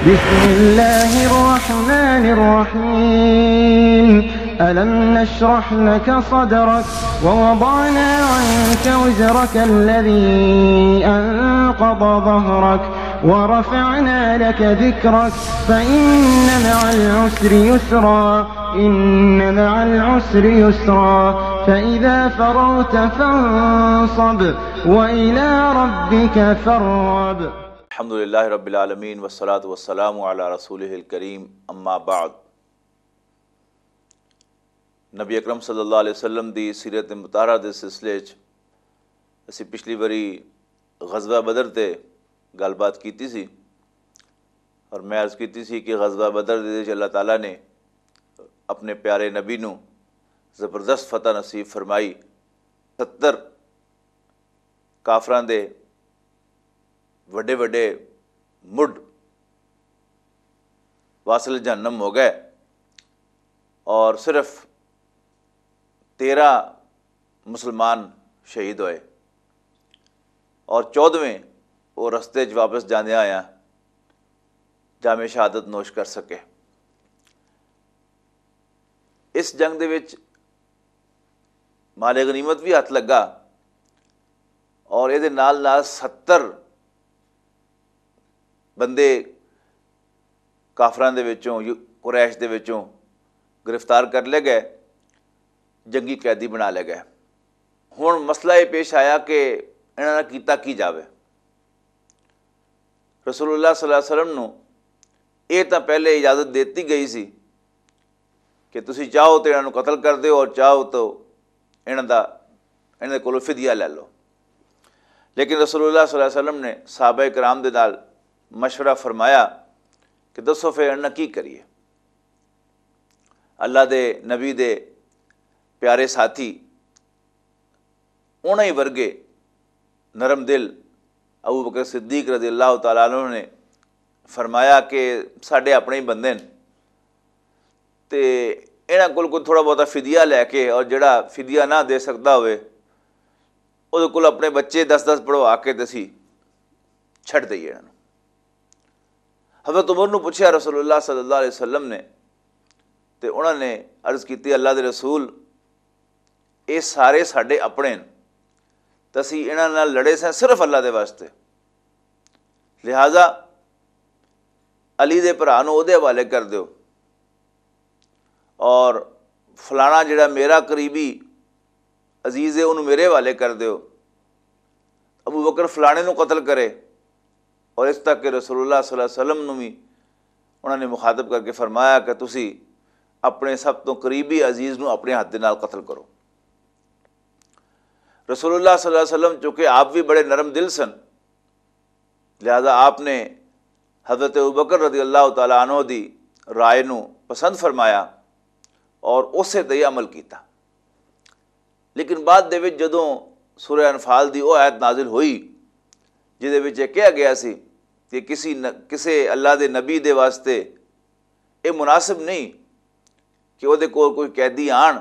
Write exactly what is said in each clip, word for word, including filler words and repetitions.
بسم الله الرحمن الرحيم. ألم نشرح لك صدرك ووضعنا عنك وزرك الذي أنقض ظهرك ورفعنا لك ذكرك فإن مع العسر يسرا، إن مع العسر يسرا، فإذا فرغت فانصب وإلى ربك فارغب. الحمد لله رب العالمين، والصلاة والسلام على رسوله الكريم، أما بعد. نبی اکرم صلی اللہ علیہ وسلم دی سیرت مطالعہ دے سلسلے وچ اسی پچھلی واری غزوہ بدر تے گل بات کیتی سی، اور میں عرض کیتی سی کہ غزوہ بدر دے وچ اللہ تعالیٰ نے اپنے پیارے نبی نو زبردست فتح نصیب فرمائی۔ ستر کافراں دے وڈے وڈے مڈ واصل جہنم ہو گئے، اور صرف تیرہ مسلمان شہید ہوئے، اور چودہویں وہ رستے چ واپس جاندیاں آیا جامع شہادت نوش کر سکے۔ اس جنگ دے وچ مال غنیمت بھی ہاتھ لگا، اور یہ نال نال ستر بندے کافراں دے وچوں، یو-، قریش دے وچوں گرفتار کر لے گئے، جنگی قیدی بنا لے گئے۔ ہن مسئلہ یہ پیش آیا کہ انہاں نال کیتا کی جاوے۔ رسول اللہ صلی اللہ علیہ وسلم نو یہ تاں پہلے اجازت دیتی گئی سی کہ تسی چاہو تے انہاں نوں قتل کر دیو اور چاہو تو انہاں دا، انہاں دے کولوں فدیہ لے لو۔ لیکن رسول اللہ صلی اللہ علیہ وسلم نے صحابہ کرام دے نال مشورہ فرمایا کہ دسو پھر انہاں کی کریے؟ اللہ دے نبی دے پیارے ساتھی، انہاں ہی ورگے نرم دل ابو بکر صدیق رضی اللہ تعالیٰ عنہ نے فرمایا کہ ساڈے اپنے ہی بندے نے، تے انہاں کول کوئی تھوڑا بہت فدیہ لے کے، اور جڑا فدیہ نہ دے سکدا ہوئے، اودے کول اپنے بچے دس دس پڑھوا کے تے اسی چھڈ دئیے انہاں نوں۔ حضرت عمر نوں پوچھیا رسول اللہ صلی اللہ علیہ وسلم نے، تے انہاں نے عرض کیتی، اللہ دے رسول، اے سارے ساڈے اپنے نے، تے اسی انہاں نال لڑے سیں صرف اللہ دے واسطے، لہذا علی دے بھرا نوں اودے حوالے کر دیو، اور فلانا جڑا میرا قریبی عزیز ہے، انہوں میرے حوالے کر دیو۔ ابو بکر فلانے نوں قتل کرے، اور اس تک کہ رسول اللہ صلی اللہ علیہ وسلم نوں بھی انہوں نے مخاطب کر کے فرمایا کہ تسی اپنے سب تو قریبی عزیز نوں اپنے ہاتھ دے نال قتل کرو۔ رسول اللہ صلی اللہ علیہ وسلم چونکہ آپ بھی بڑے نرم دل سن، لہذا آپ نے حضرت ابوبکر رضی اللہ تعالیٰ عنہ دی رائے نوں پسند فرمایا اور اسے تے عمل کیتا۔ لیکن بعد دے وچ جدوں سورہ انفال دی او آیت نازل ہوئی، جس دے وچ یہ کہا گیا سی کہ کسی ن-، کسے اللہ دے نبی دے واسطے اے مناسب نہیں کہ او دے کول کوئی قیدی آن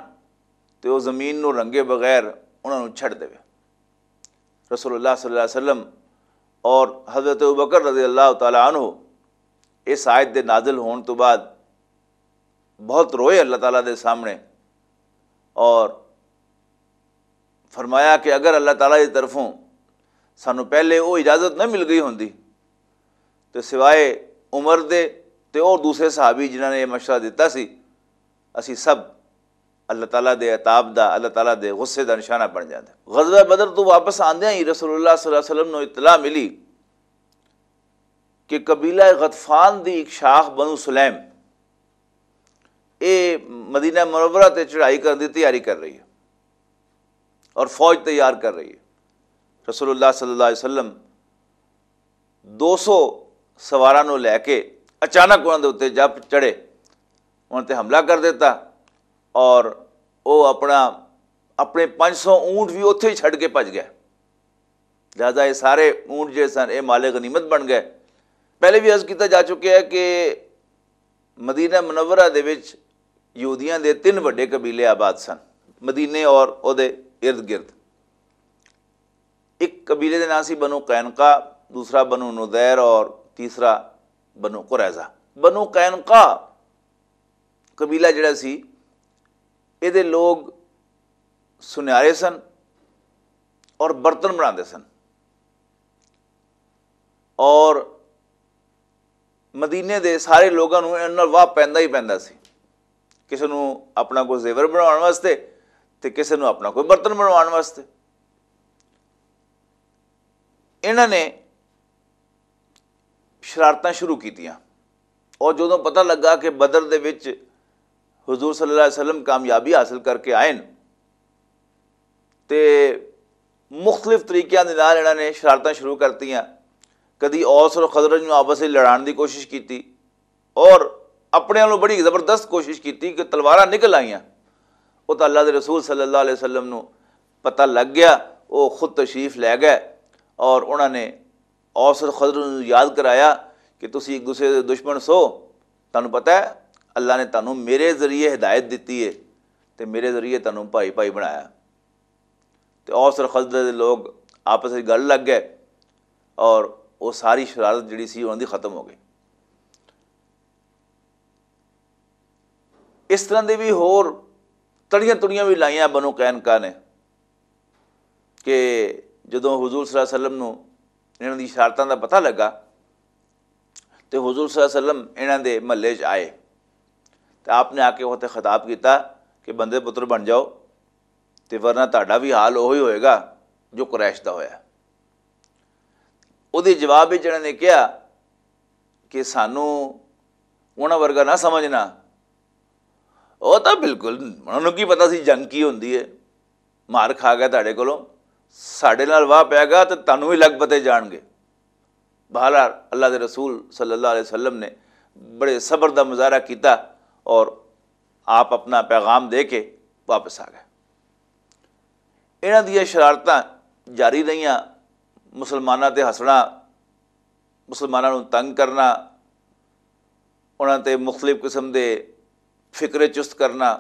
تے او زمین نوں رنگے بغیر انہاں نوں چھڈ دے۔ رسول اللہ صلی اللہ علیہ وسلم اور حضرت ابوبکر رضی اللہ تعالیٰ عنہ اس آیت دے نازل ہون تو بعد بہت روئے اللہ تعالیٰ دے سامنے، اور فرمایا کہ اگر اللہ تعالیٰ دی طرفوں سانوں پہلے وہ اجازت نہ مل گئی ہوندی تو سوائے عمر دے تے اور دوسرے صحابی جنہاں نے یہ مشورہ دیتا سی، اسی سب اللہ تعالیٰ دے عتاب دا، اللہ تعالیٰ دے غصے دا نشانہ بن جاندے۔ غزوہ بدر تو واپس آندیاں ہی رسول اللہ صلی اللہ علیہ وسلم نوں اطلاع ملی کہ قبیلہ غطفان دی ایک شاخ بنو سلیم، اے مدینہ منورہ تے چڑھائی کرن دی تیاری کر رہی ہے اور فوج تیار کر رہی ہے۔ رسول اللہ صلی اللہ علیہ وسلم دو سو سواراں نوں لے کے اچانک انہاں دے اُتے جب چڑھے، انہاں تے حملہ کر دیتا، اور وہ اپنا، اپنے پانچ سو اونٹ بھی اتھے ہی چھڈ کے بھج گیا۔ لہذا یہ سارے اونٹ جڑے سن، یہ مال غنیمت بن گئے۔ پہلے بھی عرض کیتا جا چکیا ہے کہ مدینہ منورہ دے وچ یہودیاں دے تین وڈے قبیلے آباد سن، مدینے اور او دے ارد گرد۔ ایک قبیلے دے نام سی بنو قینقا، دوسرا بنو نضیر اور تیسرا بنو قریظہ۔ بنو قینقا قبیلہ جڑا سی، یہ لوگ سنیارے سن اور برتن بناتے سن، اور مدینے دے سارے لوگاں نوں انہاں نال واہ پیندا ہی پیندا سی۔ کسے نوں اپنا کوئی زیور بناون واسطے، تے کسے نوں اپنا کوئی برتن بناون واسطے۔ انہاں نے شرارتاں شروع کیتیاں، اور جدوں پتہ لگا کہ بدر دے وچ حضور صلی اللہ علیہ وسلم کامیابی حاصل کر کے آئے نے، تے مختلف طریقیاں دے نال انہاں نے شرارتاں شروع کرتیاں۔ کدی اوس اور خزرج نوں آپس وچ لڑان دی کوشش کیتی، اور اپنے والوں بڑی زبردست کوشش کیتی کہ تلواراں نکل آئیاں۔ وہ تو اللہ دے رسول صلی اللہ علیہ وسلم نوں پتہ لگ گیا، وہ خود تشریف لے گئے، اور انہاں نے اوس اور خزرج نوں یاد کرایا کہ تسی ایک دوسرے دے دشمن سو، تانوں پتہ ہے، اللہ نے تانوں میرے ذریعے ہدایت دتی ہے، تے میرے ذریعے تانوں بھائی بھائی بنایا۔ تے اوس اور خزرج دے لوگ آپس وچ گل لگ گئے، اور وہ ساری شرارت جڑی سی انہاں دی ختم ہو گئی۔ اس طرح دے بھی ہور تڑیاں تڑیاں بھی لائیاں بنو قینقا نے، کہ جدوں حضور صلی اللہ علیہ وسلم نوں انہاں دی شرارتاں دا پتہ لگا، تے حضور صلی اللہ علیہ وسلم انہاں دے محلے چ آئے، تے آپ نے آ کے اوتھے خطاب کیتا کہ بندے پتر بن جاؤ، تے ورنہ تہاڈا بھی حال اوہی ہوئے گا جو قریش دا ہویا۔ اودے جواب وچ انہاں نے کہا کہ سانوں انہاں ورگا نہ سمجھنا۔ او تاں بالکل، انہاں نوں کی پتہ سی جنگ کی ہوندی ہے؟ مار کھا گیا تہاڈے کولوں، ساڈے نال واہ پے گا تے تانوں وی لگ پتے جان گے۔ بہرحال، اللہ دے رسول صلی اللہ علیہ وسلم نے بڑے صبر دا مظاہرہ کیتا، اور آپ اپنا پیغام دے کے واپس آ گئے۔ انہاں دیاں شرارتاں جاری رہیاں، مسلماناں تے ہسنا، مسلماناں نوں تنگ کرنا، انہاں تے مختلف قسم دے فکرے چست کرنا۔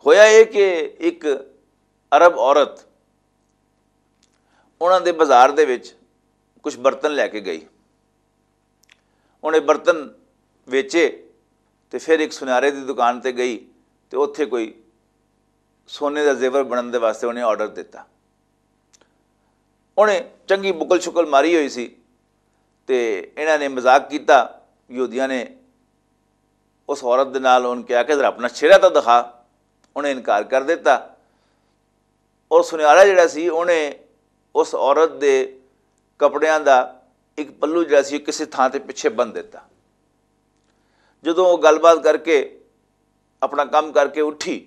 ہویا یہ کہ ایک عرب عورت انہاں دے بازار دے وچ کچھ برتن لے کے گئی۔ انہیں برتن ویچے، تے پھر ایک سنیارے دی دکان تے گئی، تے اوتھے کوئی سونے دا زیور بنن دے واسطے انہیں آرڈر دتا۔ انہیں چنگی بکل شکل ماری ہوئی سی، تے انہاں نے مذاق کیتا۔ یہودیاں نے اس عورت دے نال انہوں کہا کہ ذرا اپنا چہرہ تو دکھا۔ انہیں انکار کر دیتا۔ اور سنیارا جڑا سی، انہیں اس عورت دے کپڑیاں دا ایک پلو جڑا سی، کسی تھاں تے پیچھے بن دیتا۔ جدوں وہ گل بات کر کے، اپنا کم کر کے اٹھی،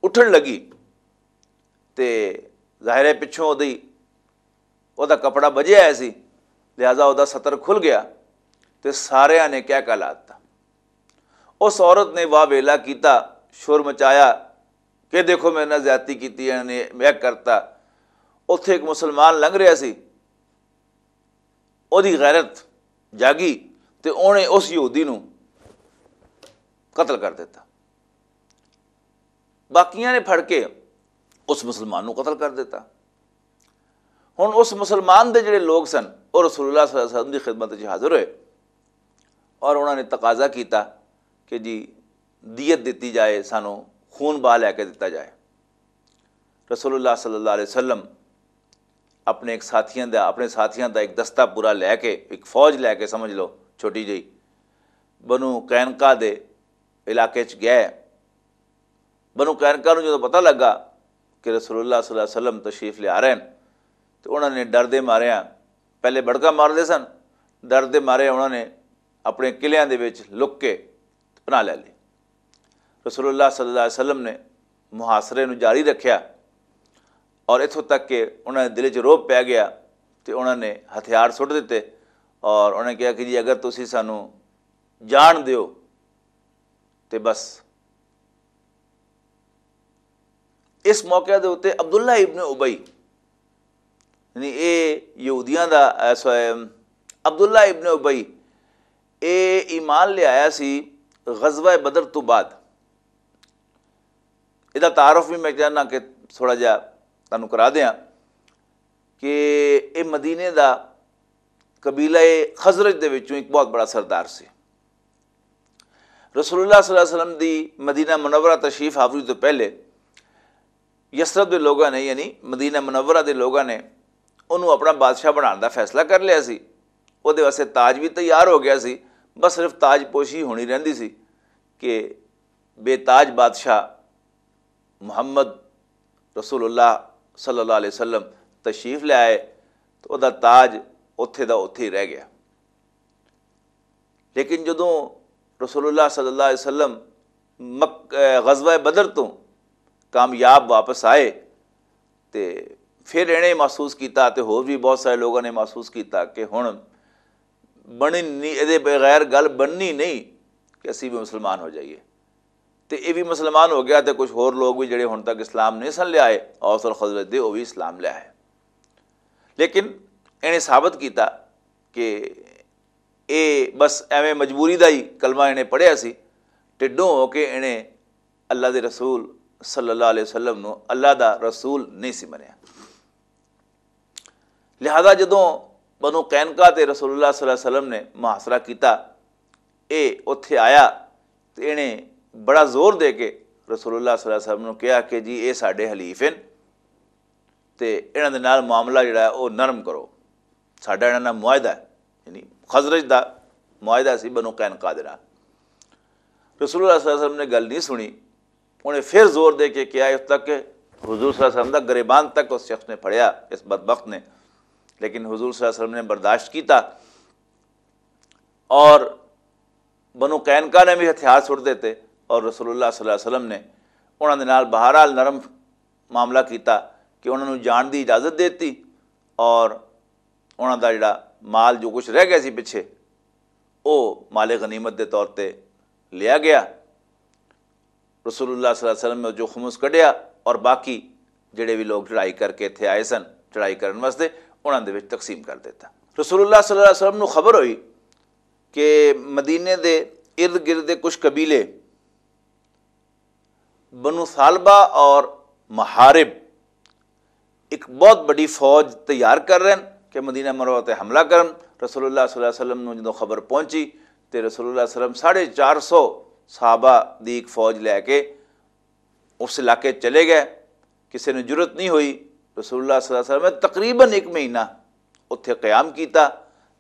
اٹھن لگی، تے ظاہر ہے پچھوں اودی، اودا کپڑا بجے آیا سی، لہذا اودا ستر کھل گیا، تے ساریاں نے کہہ کہا لاتا۔ اس عورت نے واہ ویلا کیتا، شور مچایا کہ دیکھو، میرے نال زیادتی کیتی، انہاں نے یہ کرتا۔ اوتھے ایک مسلمان لنگھ رہا سی، اوہدی غیرت جاگی، تے اوہنے اس یہودی نوں قتل کر دیتا۔ باقیاں نے پھڑ کے اس مسلمان نوں قتل کر دیتا۔ ہن اس مسلمان دے جڑے لوگ سن، وہ رسول اللہ صلی اللہ علیہ وسلم دی خدمت وچ حاضر ہوئے، اور انہاں نے تقاضا کیتا کہ جی، دیت دتی جائے، سانوں خون بہا لے کے دتا جائے۔ رسول اللہ صلی اللہ علیہ وسلم اپنے ایک ساتھیاں دا اپنے ساتھیاں دا ایک دستہ پورا لے کے، ایک فوج لے کے، سمجھ لو، چھوٹی جئی، بنو قینقا دے علاقے چ گئے۔ بنو قینقا نوں جدوں پتہ لگا کہ رسول اللہ صلی اللہ علیہ وسلم تشریف لے آ رہے ہیں، تو انہوں نے ڈر دے مارے، پہلے بڑکا مار دے سن، ڈر دے مارے انہوں نے اپنے قلعیاں دے وچ لک کے پناہ لے لی۔ رسول اللہ صلی اللہ علیہ وسلم نے محاصرے نوں جاری رکھیا، اور اتھوں تک کہ انہوں نے دل چ روب پی گیا، تے انہوں نے ہتھیار سٹ دتے، اور انہوں نے کہا کہ جی، اگر تسی سانوں جان دیو، تے بس۔ اس موقع دے اُتے عبداللہ ابن ابی، یعنی اے یہودیاں دا، اے، سو-، اے، عبداللہ ابن ابی، اے ایمان لے آیا سی غزوہ بدر تو بعد۔ ادا تعارف بھی میں چاہنا کہ تھوڑا جہا تانوں کرا دیاں کہ اے مدینے دا قبیلہ خزرج دے وچوں ایک بہت بڑا سردار سی۔ رسول اللہ صلی اللہ علیہ وسلم دی مدینہ منورہ تشریف آوری تو پہلے یثرب دے لوگاں نے، یعنی مدینہ منورہ دے لوگاں نے، انہوں اپنا بادشاہ بنان دا فیصلہ کر لیا سی۔ وہ دے واسطے تاج بھی تیار ہو گیا سی، بس صرف تاج پوشی ہونی رہندی سی کہ بے تاج بادشاہ محمد رسول اللہ صلی اللہ علیہ وسلم تشریف لے آئے، تو وہ دا تاج اتھے دا اتھے ہی رہ گیا۔ لیکن جدوں رسول اللہ صلی اللہ علیہ وسلم مک-، اے، غزوہ بدر تو کامیاب واپس آئے، تے پھر انہیں محسوس کیتا، تے ہور بھی بہت سارے لوگوں نے محسوس کیتا کہ ہن بنی نہیں، ادے بغیر گل بننی نہیں کہ اسی بھی مسلمان ہو جائیے۔ تے یہ بھی مسلمان ہو گیا، تے کچھ ہور لوگ بھی جڑے ہن تک اسلام نہیں سن لے آئے، اوس اور خزرج دے، وہ بھی اسلام لے آئے۔ لیکن انہیں ثابت کیتا کہ اے بس ایویں مجبوری دا ہی کلمہ انہیں پڑھیا سی، ٹڈوں ہو کے انہیں اللہ دے رسول صلی اللہ علیہ وسلم نو اللہ دا رسول نہیں سی منیا۔ لہذا جدوں بنو قینقاع تے رسول اللہ صلی اللہ علیہ وسلم نے محاصرہ کیتا، اے اتھے آیا تے انہیں بڑا زور دے کے رسول اللہ صلی اللہ علیہ وسلم نو کہا کہ جی، اے ساڈے حلیف ہیں، تے انہاں دے نال معاملہ جڑا ہے، او نرم کرو۔ ساڈا انہاں نال معاہدہ ہے، یعنی خزرج دا معاہدہ سی بنو قینقاع دے نال۔ رسول اللہ صلی اللہ علیہ وسلم نے گل نہیں سنی۔ انہیں پھر زور دے کے کہا، اس تک کہ حضور صلی اللہ علیہ وسلم دا گریبان تک اس شخص نے پھڑیا، اس بدبخت نے۔ لیکن حضور صلی اللہ علیہ وسلم نے برداشت کیتا، اور بنو قینقاع نے بھی ہتھیار چھوڑ دیتے، اور رسول اللہ صلی اللہ علیہ وسلم نے انہاں دے نال بہرحال نرم معاملہ کیتا کہ انہاں نوں جان دی اجازت دیتی، اور انہاں دا جڑا مال جو کچھ رہ گیا سی پچھے، او مال غنیمت دے طور تے لیا گیا۔ رسول اللہ صلی اللہ علیہ وسلم نے جو خمس کڈیا، اور باقی جڑے بھی لوگ چڑھائی کر کے اتھے آئے سن چڑھائی کرن واسطے، انہاں دے وچ تقسیم کر دیتا۔ رسول اللہ صلی اللہ علیہ وسلم نوں خبر ہوئی کہ مدینے دے ارد گرد دے کچھ قبیلے بنو ثعلبہ اور محارب ایک بہت بڑی فوج تیار کر رہے ہیں کہ مدینہ منورہ تے حملہ کرن۔ رسول اللہ صلی اللہ علیہ وسلم نوں جدوں خبر پہنچی تے رسول اللہ صلی اللہ علیہ وسلم ساڑھے چار سو صحابہ دی ایک فوج لے کے اس علاقے چلے گئے۔ کسی نوں جرت نہیں ہوئی۔ رسول اللہ صلی اللہ علیہ وسلم نے تقریباً ایک مہینہ اتھے قیام کیتا۔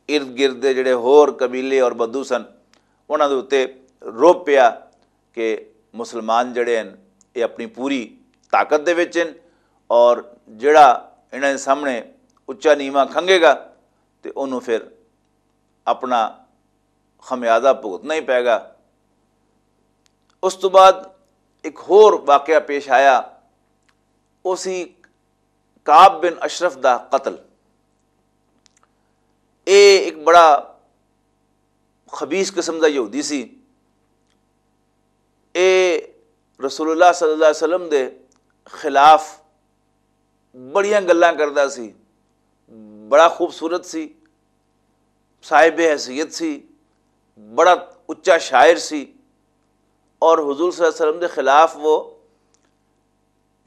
ارد گرد دے جڑے ہور قبیلے اور بدو سن، انہاں دے اُتے رعب پیا کہ مسلمان جڑے ہیں، یہ اپنی پوری طاقت دے وچ ہیں، اور جڑا انہاں دے سامنے اچا نیواں کھنگے گا، تے انہوں پھر اپنا خمیازہ بھگتنا ہی پے گا۔ اس تو بعد ایک ہور واقعہ پیش آیا، اسی کعب بن اشرف دا قتل۔ اے ایک بڑا خبیث قسم دا یہودی سی۔ اے رسول اللہ صلی اللہ علیہ وسلم دے خلاف بڑیاں گلاں کردا سی، بڑا خوبصورت سی، صاحب حیثیت سی، بڑا اچا شاعر سی، اور حضور صلی اللہ علیہ وسلم دے خلاف وہ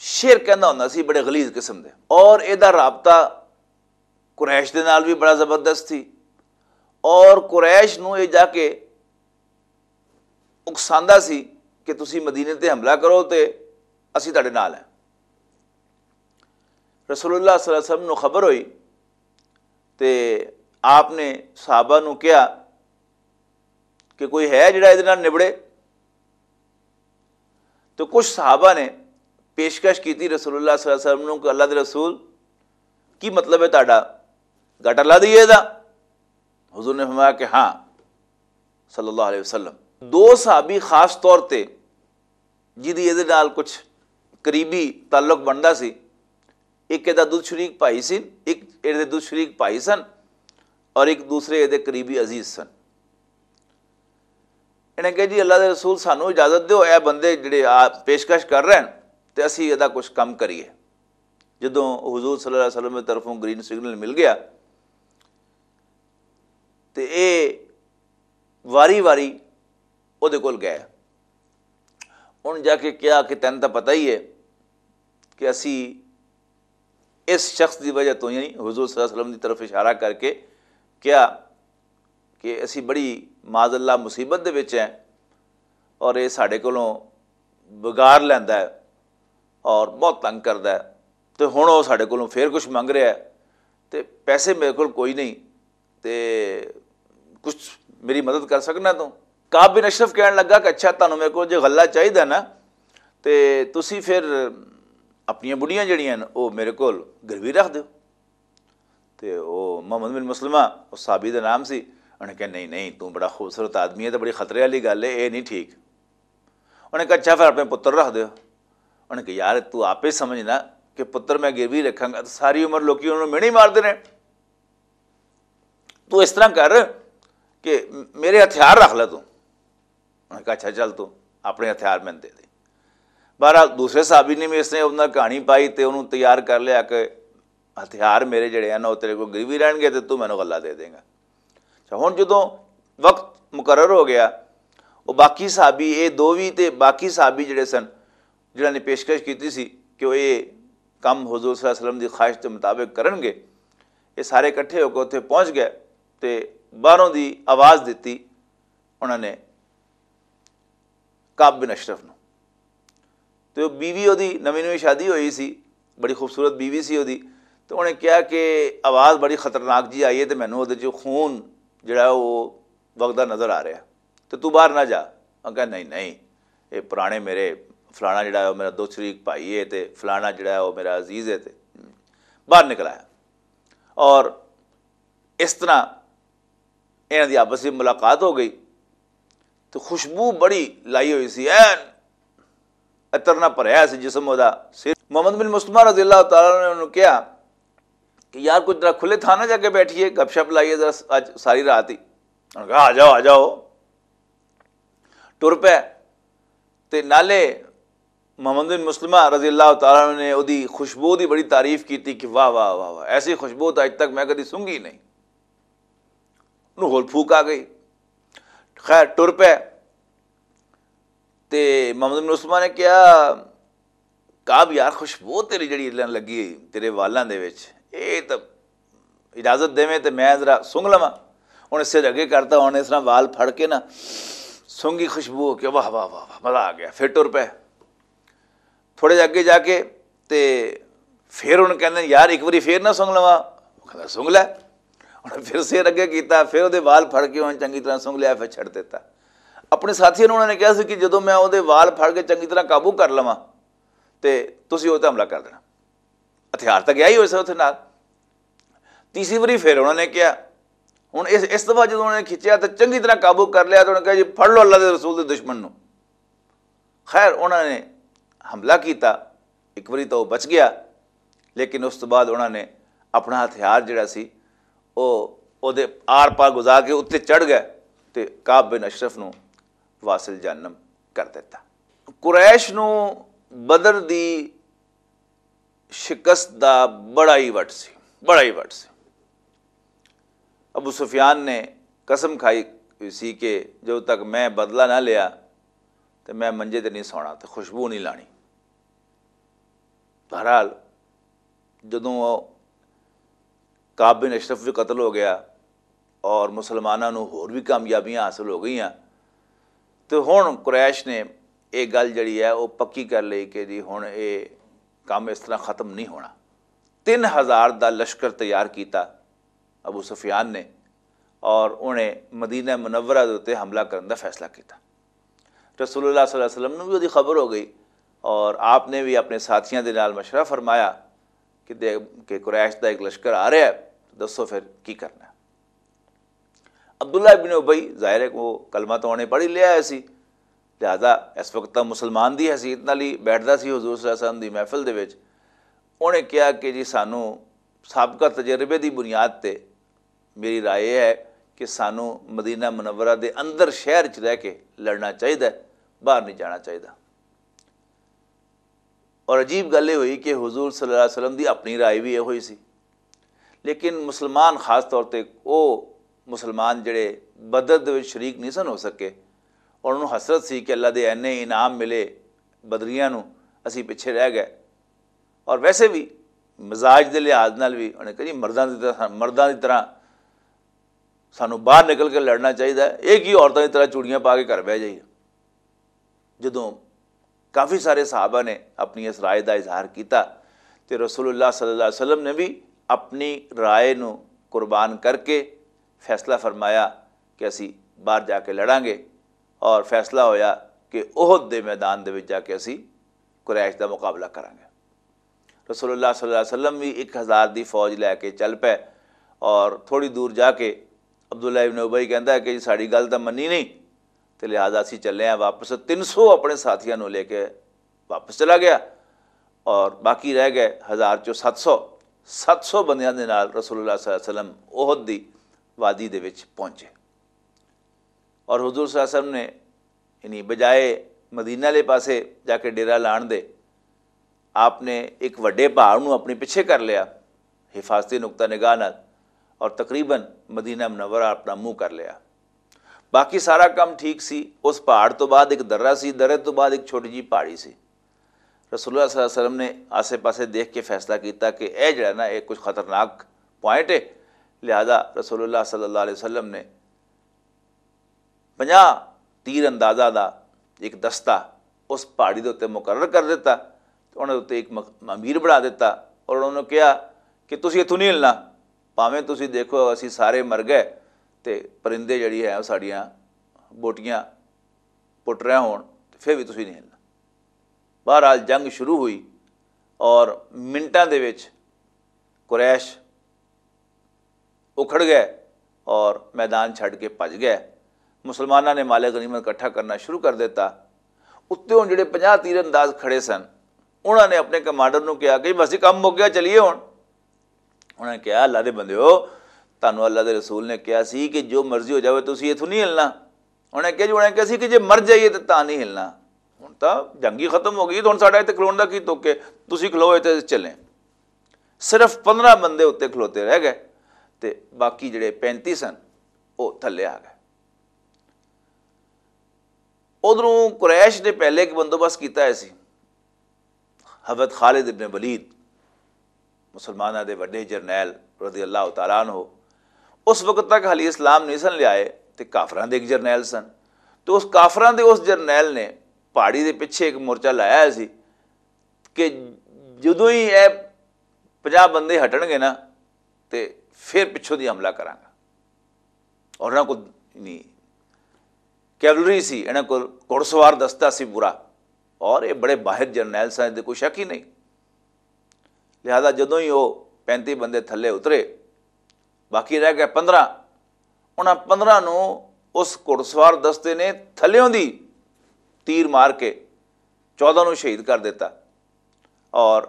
شعر کہندا ہوندا سی، بڑے غلیظ قسم دے۔ اور اے دا رابطہ قریش دے نال بھی بڑا زبردست سی، اور قریش نوں اے جا کے اکساندا سی کہ تسی مدینے تے حملہ کرو تے اسی تہاڈے نال ہیں۔ رسول اللہ صلی اللہ علیہ وسلم نوں خبر ہوئی تے آپ نے صحابہ نوں کہا کہ کوئی ہے جڑا ایہدے نال نبڑے؟ تو کچھ صحابہ نے پیشکش کیتی رسول اللہ صلی اللہ علیہ وسلم نوں کہ اللہ دے رسول، کی مطلب ہے تہاڈا؟ گٹ اللہ دی ہے دا؟ حضور نے فرمایا کہ ہاں، صلی اللہ علیہ وسلم۔ دو صحابی خاص طور تے جدی ایہدے نال کچھ قریبی تعلق بندا سی، ایک ایہدا دودھ شریک بھائی سی، ایک ایہدے دودھ شریک بھائی سن، اور ایک دوسرے ایہدے قریبی عزیز سن۔ انہیں کہا، جی اللہ دے رسول، سانو اجازت دیو، اے بندے جڑے آ پیشکش کر رہے ہیں، تے اسی ایہدا کچھ کم کریے۔ جدوں حضور صلی اللہ علیہ وسلم دی طرفوں گرین سگنل مل گیا، تے اے واری واری او دے کول گئے۔ ان جا کے کہا کہ تینوں تاں پتہ ہی ہے کہ اسی اس شخص دی وجہ تو، یعنی حضور صلی اللہ علیہ وسلم دی طرف اشارہ کر کے، کہیا کہ اسی بڑی معذ اللہ مصیبت دے وچ ہیں اور یہ ساڈے کولوں بگاڑ لیندا ہے اور بہت تنگ کردا ہے۔ تے ہن او ساڈے کولوں فیر کچھ منگ رہیا ہے تے پیسے میرے کول کوئی نہیں، تے کچھ میری مدد کر سکنا توں؟ کعب بن اشرف کہن لگا کہ اچھا، تانوں میرے کول جے غلہ چاہیدا نا، تے تسی فیر اپنیاں بڑیاں جڑیاں نے او میرے کول گروی رکھ دیو۔ تے او محمد بن مسلمہ، او صحابی دا نام سی، انہیں کہا، نہیں نہیں، توں بڑا خوبصورت آدمی ہے تے بڑی خطرے والی گل ہے، اے نہیں ٹھیک۔ انہیں کہا، اچھا، پھر اپنے پتر رکھ دیو۔ انہیں کہا، یار، تو آپ ہی سمجھنا کہ پتر میں گروی رکھاں گا تو ساری عمر لوکی انہوں نے مینے ہی مار دینے۔ تو اس طرح کر کہ میرے ہتھیار رکھ لے تو۔ انہیں کہا، اچھا، چل، تو اپنے ہتھیار میں دے دے۔ بہرحال، دوسرے صحابی نے بھی اس نے انہاں کہانی پائی تے انہوں تیار کر لیا کہ ہتھیار میرے جڑے ہیں نا، وہ تیرے کو گروی رہن گے تے تو مینوں غلہ دے دیں گا۔ اچھا، ہن جدوں وقت مقرر ہو گیا، وہ باقی صحابی، اے دو وی تے باقی صحابی جڑے سن، جنہاں نے پیشکش کیتی سی کہ وہ اے کم حضور صلی اللہ علیہ وسلم دی خواہش دے مطابق کرن گے، یہ سارے اکٹھے ہو کے اتھے پہنچ گئے تے باہروں دی آواز دتی انہاں نے کعب بن اشرف نو۔ تے او بیوی اودی نویں نویں شادی ہوئی سی، بڑی خوبصورت بیوی سی اودی۔ تے انہیں کہا کہ آواز بڑی خطرناک جی آئی ہے تے مینوں اودے چوں خون جڑا ہے او وگدا نظر آ رہا ہے، تے تو باہر نہ جا۔ انہاں کہا، نہیں نہیں، اے پرانے میرے، فلانا جڑا ہے او میرا دو شریک بھائی ہے تے فلانا جڑا ہے او میرا عزیز ہے۔ تے باہر نکل آیا اور اس طرح انہاں دی آپس وچ ملاقات ہو گئی۔ تے خوشبو بڑی لائی ہوئی سی، این عطر نہ بھریا سی جسم اودا۔ سر محمد بن مسلمہ رضی اللہ تعالیٰ عنہ نے انہوں کہا کہ یار، کچھ ذرا کھلے تھان نہ جا کے بیٹھیے، گپ شپ لائیے ذرا، اج ساری رات ہی۔ انہوں کہا، آ جاؤ، آ جاؤ۔ ٹر پے۔ تے نالے محمد بن مسلمہ رضی اللہ تعالیٰ عنہ نے اودی خوشبو دی بڑی تعریف کی تھی کہ واہ واہ واہ واہ، ایسی خوشبو تو اج تک میں کدی سنگی نہیں۔ انہوں ہول پھوک آ گئی۔ خیر، ٹر پے۔ تے محمد بن مسلمہ نے کہا، کعب یار، خوشبو تیری جڑی لگی تیرے والاں دے وچ، اے تے اجازت دیویں تے میں ذرا سونگ لواں۔ ہن اس سے اگے کرتا، ہن اس طرح وال پھڑ کے نا سونگی خوشبو ہو کے، واہ واہ واہ واہ، مزہ آ گیا۔ پھر ٹر پے۔ تھوڑے جے اگے جا کے تے پھر ہن کہندے، یار، ایک واری پھر نہ سونگ لواں؟ وہ کہندا، سونگ لے۔ انہاں پھر سر اگے کیتا، پھر اودے وال پھڑ کے انہاں چنگی طرح سونگ لیا، پھر چھڈ دیتا۔ اپنے ساتھیاں نوں انہاں نے کہا سی کہ جدوں میں اودے وال پھڑ کے چنگی طرح قابو کر لواں تے تسی او تے حملہ کر دینا۔ ہتھیار تک آئی ہوئے سن اتھے نال۔ تیسری واری پھر انہوں نے کہا، ہن اس اس دفعہ جدوں انہوں نے کھچیا تے چنگی طرح قابو کر لیا تے انہوں نے کہا، جی پھڑ لو اللہ دے رسول دے دشمن نوں۔ خیر، انہوں نے حملہ کیتا، ایک واری تو وہ بچ گیا، لیکن اس تو بعد انہوں نے اپنا ہتھیار جڑا سی، وہ اودے آر پار گزار کے اتنے چڑھ گئے تے کعب بن اشرف نوں واصل جہنم کر دیتا۔ قریش نوں بدر دی شکست دا بڑا ہی وٹ سی، بڑا ہی وٹ سی۔ ابو سفیان نے قسم کھائی ہوئی سی کہ جب تک میں بدلہ نہ لیا تے میں منجے تے نہیں سونا تے خوشبو نہیں لانی۔ بہرحال، جدوں وہ کعب بن اشرف بھی قتل ہو گیا اور مسلماناں نوں ہور بھی کامیابیاں حاصل ہو گئیاں، تے ہن قریش نے یہ گل جڑی ہے وہ پکی کر لئی کہ جی ہن یہ کام اس طرح ختم نہیں ہونا۔ تین ہزار دا لشکر تیار کیتا ابو سفیان نے، اور انہیں مدینہ منورہ دے اُتے حملہ کرن دا فیصلہ کیتا۔ رسول اللہ صلی اللہ علیہ وسلم نوں بھی اودی خبر ہو گئی، اور آپ نے بھی اپنے ساتھیاں دے نال مشورہ فرمایا کہ دے کہ قریش دا ایک لشکر آ رہا ہے، دسو پھر کی کرنا ہے؟ عبداللہ ابن ابی، ظاہر ہے کہ وہ کلمہ تو انہیں پڑھ ہی لیا ہے سی، لہذا اس وقت تاں مسلمان دی حیثیت نال ہی بیٹھدا سی حضور صلی اللہ علیہ وسلم دی محفل دے وچ۔ انہیں کہا کہ جی سانوں سابقہ تجربے دی بنیاد تے میری رائے یہ ہے کہ سانوں مدینہ منورہ دے اندر شہر چ رہ کے لڑنا چاہیدا ہے، باہر نہیں جانا چاہیدا۔ اور عجیب گل یہ ہوئی کہ حضور صلی اللہ علیہ وسلم دی اپنی رائے بھی یہ ہوئی سی، لیکن مسلمان خاص طور تے او مسلمان جڑے بدر دے وچ شریک نہیں سن ہو سکے، اور انہوں حسرت سی کہ اللہ دے اینے انعام ملے بدریاں نوں، اسی پچھے رہ گئے۔ اور ویسے بھی مزاج دے لحاظ نال بھی انہیں کہا جی مرداں دی طرح، مرداں دی طرح سانوں باہر نکل کے لڑنا چاہیے۔ یہ کی عورتوں کی طرح چوڑیاں پا کے گھر بہ جائیے؟ جدوں کافی سارے صحابہ نے اپنی اس رائے دا اظہار کیتا، تے رسول اللہ صلی اللہ علیہ وسلم نے بھی اپنی رائے نو قربان کر کے فیصلہ فرمایا کہ اسی باہر جا کے لڑاں گے، اور فیصلہ ہویا کہ احد دے میدان دے وچ جا کے اسی قریش دا مقابلہ کراں گے۔ رسول اللہ صلی اللہ علیہ وسلم بھی ایک ہزار دی فوج لے کے چل پے، اور تھوڑی دور جا کے عبداللہ ابن ابی کہندا ہے کہ "جی، ساڈی گل تاں منی نہیں، تے لہذا اسی چلے ہیں واپس۔" تین سو اپنے ساتھیاں نوں لے کے واپس چلا گیا، اور باقی رہ گئے ہزار چوں ست سو۔ ست سو بندیاں دے نال رسول اللہ صلی اللہ علیہ وسلم احد دی وادی دے وچ پہنچے، اور حضور صلی اللہ علیہ وسلم نے، یعنی بجائے مدینہ والے پاسے جا کے ڈیرہ لان دے، آپ نے ایک وڈے پہاڑ نوں اپنے پیچھے کر لیا حفاظتی نقطہ نگاہ نال، اور تقریباً مدینہ منورہ اپنا منہ کر لیا۔ باقی سارا کام ٹھیک سی۔ اس پہاڑ تو بعد ایک درہ سی، درے تو بعد ایک چھوٹی جی پہاڑی سی۔ رسول اللہ صلی اللہ علیہ وسلم نے آسے پاسے دیکھ کے فیصلہ کیتا کہ اے جڑا نا، اے کچھ خطرناک پوائنٹ ہے۔ لہذا رسول اللہ صلی اللہ علیہ وسلم نے پنجاہ تیر اندازہ دا ایک دستہ اس پہاڑی دے اُتے مقرر کر دتا، تے انہاں دے اُتے ایک مق-، امیر بنا دتا، اور انہاں نوں کہیا کہ "تسی اتھوں نہیں ہلنا، بھاویں تسی دیکھو اسی سارے مر گئے تے پرندے جڑی ہے، او ساڈیاں بوٹیاں پٹ رہے ہون، تے پھر بھی تسی نہیں ہلنا۔" بہرحال، جنگ شروع ہوئی، اور منٹاں دے وچ قریش اکھڑ گئے اور میدان چھڈ کے بھج گئے۔ مسلماناں نے مال غنیمت اکٹھا کرنا شروع کر دیتا۔ اتوں جڑے پنجاہ تیر انداز کھڑے سن، انہاں نے اپنے کمانڈر نوں کہا کہ "بس جی، کم مک گیا، چلیے ہن۔" انہاں نے کہا، "اللہ دے بندیو، تانوں اللہ دے رسول نے کہا سی کہ جو مرضی ہو جاوے، تسی اتھوں نہیں ہلنا۔" انہاں نے کہا جی، انہاں نے کہا سی کہ "جے مر جائیے تے تاں نہیں ہلنا۔" ہن تاں جنگ ہی ختم ہو گئی، ہن ساڈا اتھے کھلون دا کی تک ہے؟ تسی کھلو، اتھے چلیں۔ صرف پندرہ بندے اتنے کھلوتے رہ گئے، تے باقی جڑے پینتی سن، وہ تھلے آ گئے۔ ادھروں قریش نے پہلے ایک بندوبست کیتا ہے سی۔ حضرت خالد ابن ولید، مسلمانوں دے وڈے جرنیل، رضی اللہ تعالیٰ عنہ، اس وقت تک حالی اسلام نہیں سن لیا ہے، تے کافراں دے ایک جرنیل سن۔ تو اس کافراں دے اس جرنیل نے پہاڑی دے پیچھے ایک مورچہ لایا ہے سی کہ جدوں ہی اے پنجاہ بندے ہٹن گے نا، تے پھر پچھوں دی حملہ کراں گا۔ اور انہاں کول، یعنی، کیولری سی، انہاں کول گھڑسوار دستہ سی پورا، اور یہ بڑے ماہر جرنیل سن، اس دے کوئی شک ہی نہیں۔ لہذا جدوں ہی وہ پینتی بندے تھلے اترے، باقی رہ گئے پندرہ، انہاں پندرہ نوں اس گھڑسوار دستے نے تھلیوں دی تیر مار کے چودہ نوں شہید کر دیتا، اور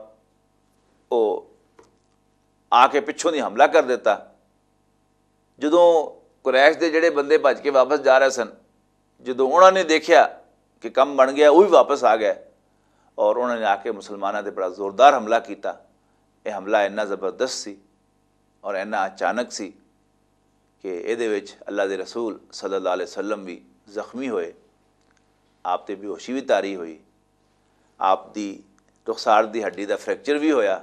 وہ آ کے پچھوں دی حملہ کر دیتا۔ جدوں قریش دے جڑے بندے بھج کے واپس جا رہے سن، جدوں انہاں نے دیکھیا کہ کم بن گیا، وہ بھی واپس آ گئے، اور انہاں نے آ کے مسلماناں تے بڑا زوردار حملہ کیتا۔ یہ حملہ اتنا زبردست سی اور اتنا اچانک سی کہ ایہدے وچ اللہ دے رسول صلی اللہ علیہ وسلم بھی زخمی ہوئے، آپ تے بے ہوشی بھی طاری ہوئی، آپ دی رخسار دی ہڈی دا فریکچر بھی ہویا،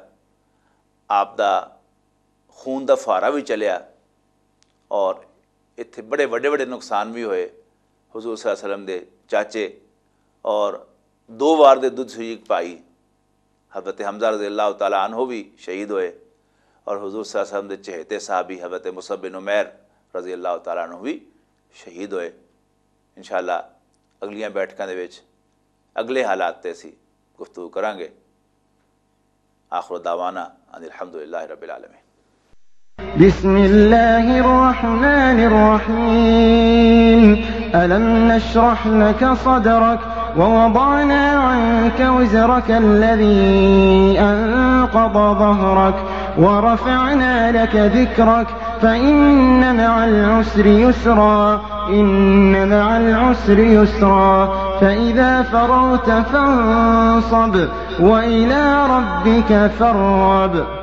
آپ دا خون دا فوارہ بھی چلیا، اور اتھے بڑے وڈے وڈے نقصان بھی ہوئے۔ حضور صلی اللہ علیہ وسلم دے چاچے اور دو وار دے دودھ سوئی ایک پائی حضرت حمزہ رضی اللہ تعالیٰ عنہ بھی شہید ہوئے، اور حضور صلی اللہ علیہ وسلم دے چہیتے صحابی حضرت مصعب بن عمیر رضی اللہ تعالیٰ عنہ بھی شہید ہوئے۔ انشاءاللہ اگلیاں بیٹھکاں دے وچ اگلے حالات تے اسی گفتگو کراں گے۔ آخر دعوانا ان الحمدللہ رب العالمین۔ بسم الله الرحمن الرحيم. ألم نشرح لك صدرك ووضعنا عنك وزرك الذي أنقض ظهرك ورفعنا لك ذكرك فإن مع العسر يسرا، إن مع العسر يسرا، فإذا فرغت فانصب وإلى ربك فارغب.